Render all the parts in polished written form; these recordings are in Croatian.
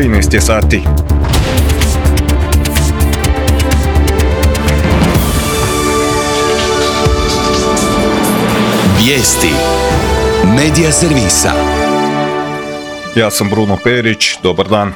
13 je sati. Vijesti Medija servisa. Ja sam Bruno Perić, dobar dan.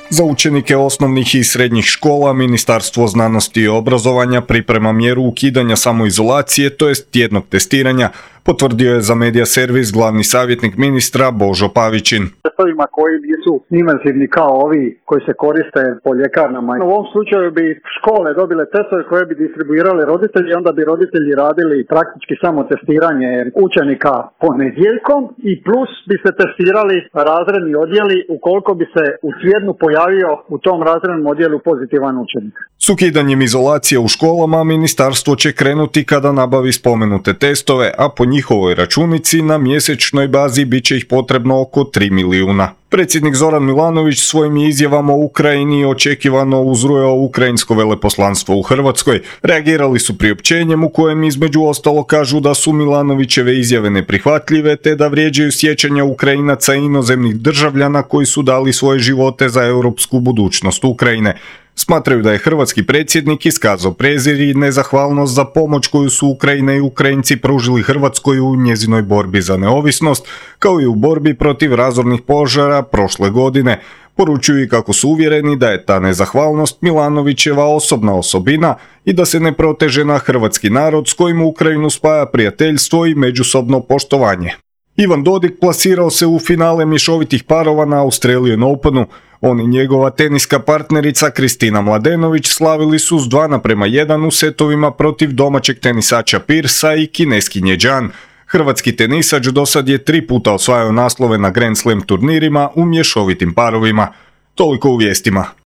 Za učenike osnovnih i srednjih škola Ministarstvo znanosti i obrazovanja priprema mjeru ukidanja samoizolacije, to jest tjednog testiranja, potvrdio je za Medija servis glavni savjetnik ministra Božo Pavićin. Testovima koji nisu invazivni kao ovi koji se koriste po ljekarnama. U ovom slučaju bi škole dobile testove koje bi distribuirali roditelji, onda bi roditelji radili praktički samo testiranje učenika ponedjeljkom i plus bi se testirali razredni odjeli ukoliko bi se u tjednu pojavio u tom razrednom odjelu pozitivan učenik. S ukidanjem izolacije u školama ministarstvo će krenuti kada nabavi spomenute testove, a po njihovoj računici na mjesečnoj bazi bit će ih potrebno oko 3 milijuna. Predsjednik Zoran Milanović svojim izjavama o Ukrajini očekivano uzrujao ukrajinsko veleposlanstvo u Hrvatskoj. Reagirali su priopćenjem u kojem između ostalo kažu da su Milanovićeve izjave neprihvatljive te da vrijeđaju sjećanja Ukrajinaca i inozemnih državljana koji su dali svoje živote za europsku budućnost Ukrajine. Smatraju da je hrvatski predsjednik iskazao prezir i nezahvalnost za pomoć koju su Ukrajina i Ukrajinci pružili Hrvatskoj u njezinoj borbi za neovisnost, kao i u borbi protiv razornih požara prošle godine. Poručuju i kako su uvjereni da je ta nezahvalnost Milanovićeva osobna osobina i da se ne proteže na hrvatski narod s kojim Ukrajinu spaja prijateljstvo i međusobno poštovanje. Ivan Dodig plasirao se u finale mješovitih parova na Australian Openu. On i njegova teniska partnerica Kristina Mladenović slavili su s 2:1 u setovima protiv domaćeg tenisača Pirsa i kineskinje Zhan. Hrvatski tenisač dosad je 3 puta osvajao naslove na Grand Slam turnirima u mješovitim parovima. Toliko u vijestima.